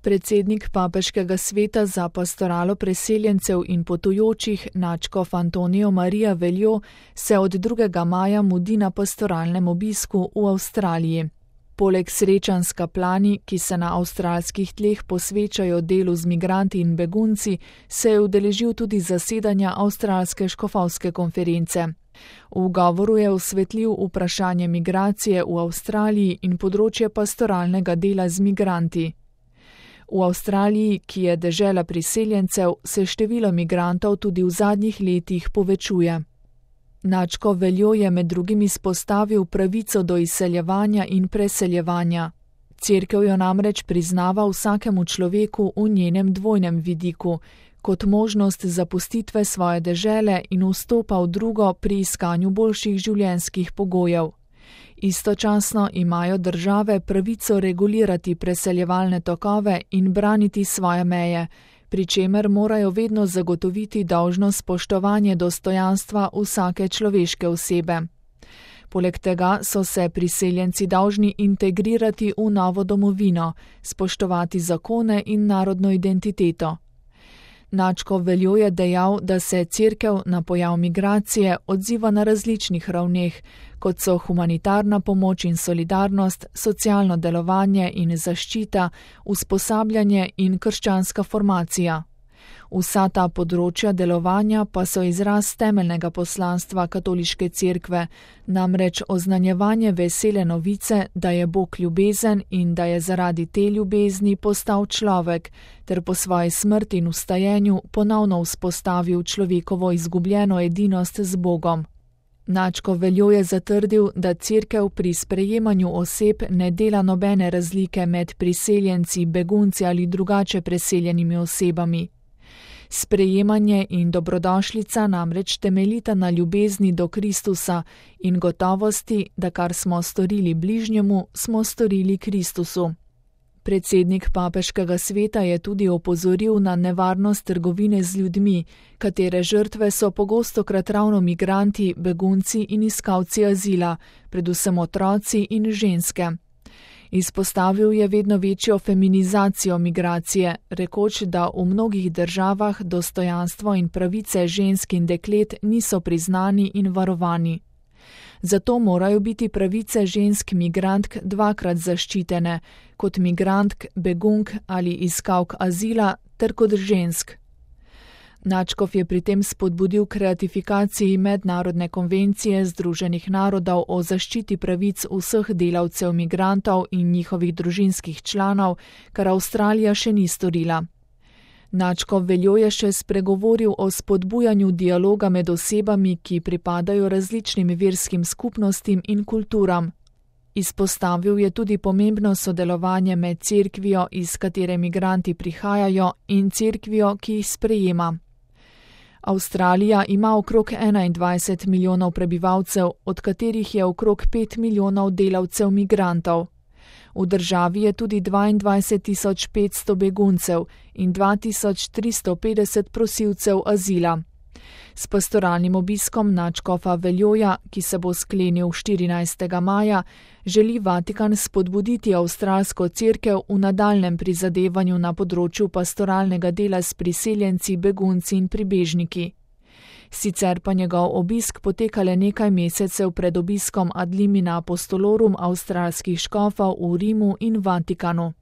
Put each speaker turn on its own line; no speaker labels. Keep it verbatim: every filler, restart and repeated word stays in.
Predsednik Papeškega sveta za pastoralo preseljencev in potujočih nadškof Antonijo Marija Veljo se od drugega maja mudi na pastoralnem obisku v Avstraliji. Poleg srečanj s kaplani, ki se na avstralskih tleh posvečajo delu z migranti in begunci, se je udeležil tudi zasedanja Avstralske škofovske konference. V govoru je osvetlil vprašanje migracije v Avstraliji in področje pastoralnega dela z migranti. V Avstraliji, ki je dežela priseljencev, se število migrantov tudi v zadnjih letih povečuje. Nadškof Veljo je med drugim izpostavil pravico do izseljevanja in preseljevanja. Cerkev jo namreč priznava vsakemu človeku v njenem dvojnem vidiku, kot možnost zapustitve svoje dežele in vstopa v drugo pri iskanju boljših življenjskih pogojev. Istočasno imajo države pravico regulirati preseljevalne tokove in braniti svoje meje, pri čemer morajo vedno zagotoviti dolžno spoštovanje dostojanstva vsake človeške osebe. Poleg tega so se priseljenci dolžni integrirati v novo domovino, spoštovati zakone in narodno identiteto. Nadškof Veljo je dejal, da se cerkev na pojav migracije odziva na različnih ravneh, kot so humanitarna pomoč in solidarnost, socialno delovanje in zaščita, usposabljanje in krščanska formacija. Vsa ta področja delovanja pa so izraz temeljnega poslanstva katoliške cerkve, namreč oznanjevanje vesele novice, da je Bog ljubezen in da je zaradi te ljubezni postal človek, ter po svoji smrti in vstajenju ponovno vzpostavil človekovo izgubljeno edinost z Bogom. Nadškof Veljo je zatrdil, da cerkev pri sprejemanju oseb ne dela nobene razlike med priseljenci, begunci ali drugače preseljenimi osebami. Sprejemanje in dobrodošlica namreč temeljita na ljubezni do Kristusa in gotovosti, da kar smo storili bližnjemu, smo storili Kristusu. Predsednik Papeškega sveta je tudi opozoril na nevarnost trgovine z ljudmi, katere žrtve so pogostokrat ravno migranti, begunci in iskalci azila, predvsem otroci in ženske. Izpostavil je vedno večjo feminizacijo migracije, rekoč, da v mnogih državah dostojanstvo in pravice žensk in deklet niso priznani in varovani. Zato morajo biti pravice žensk migrantk dvakrat zaščitene, kot migrantk, begunk ali iskalk azila, ter kot žensk. Nadškof je pri tem spodbudil k ratifikaciji mednarodne konvencije Združenih narodov o zaščiti pravic vseh delavcev migrantov in njihovih družinskih članov, kar Avstralija še ni storila. Nadškof Veljo je še spregovoril o spodbujanju dialoga med osebami, ki pripadajo različnim verskim skupnostim in kulturam. Izpostavil je tudi pomembno sodelovanje med cerkvijo, iz katere migranti prihajajo, in cerkvijo, ki jih sprejema. Avstralija ima okrog enaindvajset milijonov prebivalcev, od katerih je okrog pet milijonov delavcev migrantov. V državi je tudi dvaindvajset tisoč petsto beguncev in dva tisoč tristo petdeset prosilcev azila. S pastoralnim obiskom nadškofa Veljoja, ki se bo sklenil štirinajstega maja, želi Vatikan spodbuditi avstralsko cerkev v nadaljnjem prizadevanju na področju pastoralnega dela s priseljenci, begunci in pribežniki. Sicer pa njegov obisk poteka le nekaj mesecev pred obiskom ad limina apostolorum avstralskih škofov v Rimu in Vatikanu.